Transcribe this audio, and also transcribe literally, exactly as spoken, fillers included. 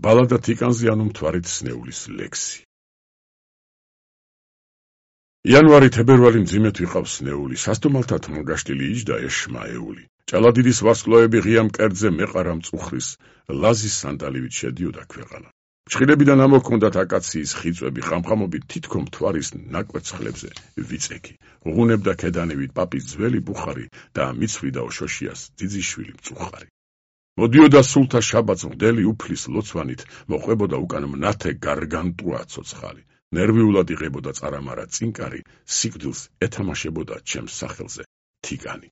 ბალადა თიკანზე ანუ მთვარით სნეულის ლექსი. იანვარი თებერვალი მძიმედ ვიყავს სნეული, სასტუმალთა თმოგაშტილი იჯდა ეშმაეული. ჭალადიდის ვარსკვლავები ღია მკერდზე მეყარა მწუხრის, ლაზის სანდალივით შედიოდა ქვეყანა. ფრჩხილებიდან ამოჰქონდათ აკაციის ხიწვები, ხამხამობით თითქო მთვარის ნაკვეცხლებზე ვიწექი. უღუნებდა ქედანივით პაპის ძველი ბუხარი და მიცვლიდა შოშიას ძიძიშვილი მწუხარი. მოდიოდა სულთა შაბათს მღვდელი უფლის ლოცვანით, მოყვებოდა უკან მნათე გარგანტუა ცოცხალი. ნერვიულად იღებოდა წარამარა წინკარი, სიკვდილს ეთამაშებოდა ჩემს სახელზე თიგანი.